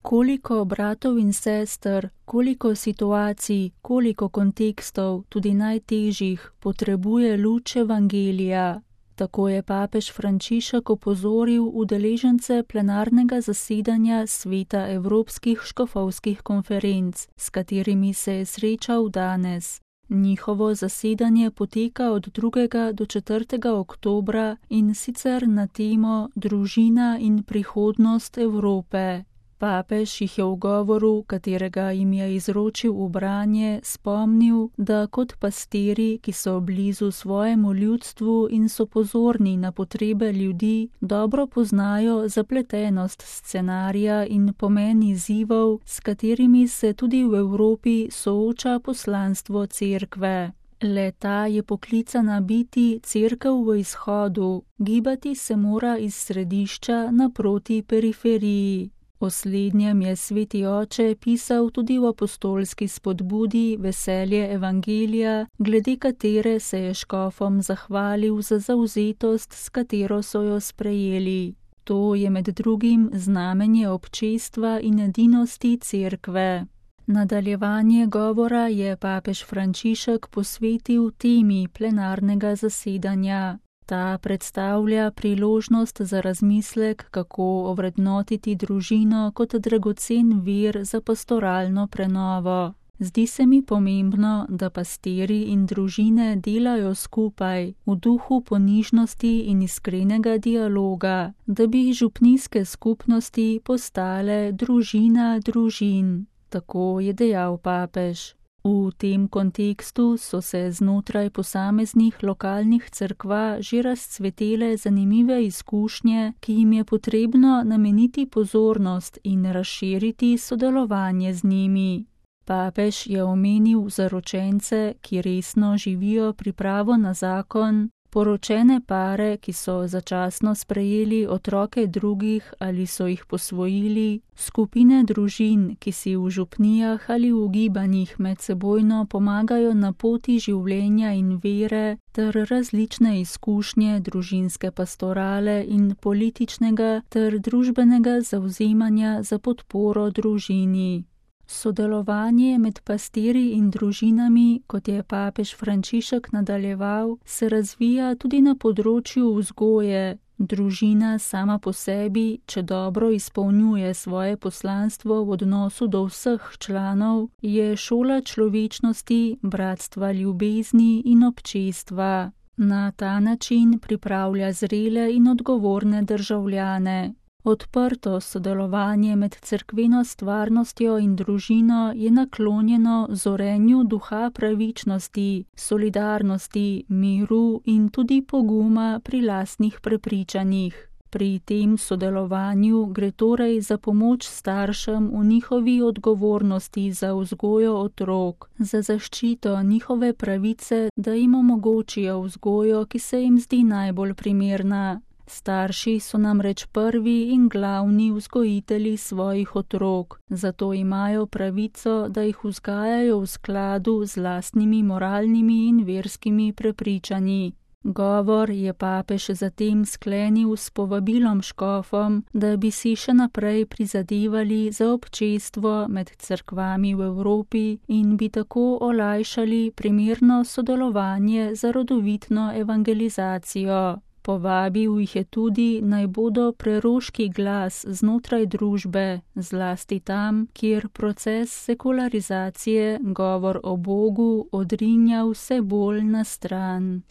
Koliko bratov in sester, koliko situacij, koliko kontekstov, tudi najtežjih, potrebuje luč evangelija. Tako je papež Frančišek opozoril udeležence plenarnega zasedanja Sveta evropskih škofovskih konferenc, s katerimi se je srečal danes. Njihovo zasedanje poteka od 2. do 4. oktobra in sicer na temo Družina in prihodnost Evrope. Papež jih je v govoru, katerega jim je izročil v branje, spomnil, da kot pastirji, ki so blizu svojemu ljudstvu in so pozorni na potrebe ljudi, dobro poznajo zapletenost scenarija in pomen izzivov, s katerimi se tudi v Evropi sooča poslanstvo cerkve. Le-ta je poklicana biti cerkev v izhodu, gibati se mora iz središča naproti periferiji. O slednjem je sveti oče pisal tudi v apostolski spodbudi Veselje evangelija, glede katere se je škofom zahvalil za zavzetost, s katero so jo sprejeli. To je med drugim znamenje občestva in edinosti cerkve. Nadaljevanje govora je papež Frančišek posvetil temi plenarnega zasedanja. Ta predstavlja priložnost za razmislek, kako ovrednotiti družino kot dragocen vir za pastoralno prenovo. Zdi se mi pomembno, da pastirji in družine delajo skupaj, v duhu ponižnosti in iskrenega dialoga, da bi župnijske skupnosti postale družina družin. Tako je dejal papež. V tem kontekstu so se znotraj posameznih lokalnih cerkva že razcvetele zanimive izkušnje, ki jim je potrebno nameniti pozornost in razširiti sodelovanje z njimi. Papež je omenil zaročence, ki resno živijo pripravo na zakon, poročene pare, ki so začasno sprejeli otroke drugih ali so jih posvojili, skupine družin, ki si v župnijah ali v gibanjih medsebojno pomagajo na poti življenja in vere, ter različne izkušnje družinske pastorale in političnega ter družbenega zavzemanja za podporo družini. Sodelovanje med pastirji in družinami, kot je papež Frančišek nadaljeval, se razvija tudi na področju vzgoje. Družina sama po sebi, če dobro izpolnjuje svoje poslanstvo v odnosu do vseh članov, je šola človečnosti, bratstva ljubezni in občestva. Na ta način pripravlja zrele in odgovorne državljane. Odprto sodelovanje med cerkveno stvarnostjo in družino je naklonjeno zorenju duha pravičnosti, solidarnosti, miru in tudi poguma pri lastnih prepričanjih. Pri tem sodelovanju gre torej za pomoč staršem v njihovi odgovornosti za vzgojo otrok, za zaščito njihove pravice, da jim omogočijo vzgojo, ki se jim zdi najbolj primerna. Starši so namreč prvi in glavni vzgojitelji svojih otrok, zato imajo pravico, da jih vzgajajo v skladu z lastnimi moralnimi in verskimi prepričanji. Govor je papež zatem sklenil s povabilom škofom, da bi si še naprej prizadevali za občestvo med cerkvami v Evropi in bi tako olajšali primerno sodelovanje za rodovitno evangelizacijo. Povabil jih je tudi, naj bodo preroški glas znotraj družbe, zlasti tam, kjer proces sekularizacije govor o Bogu odrinja vse bolj na stran.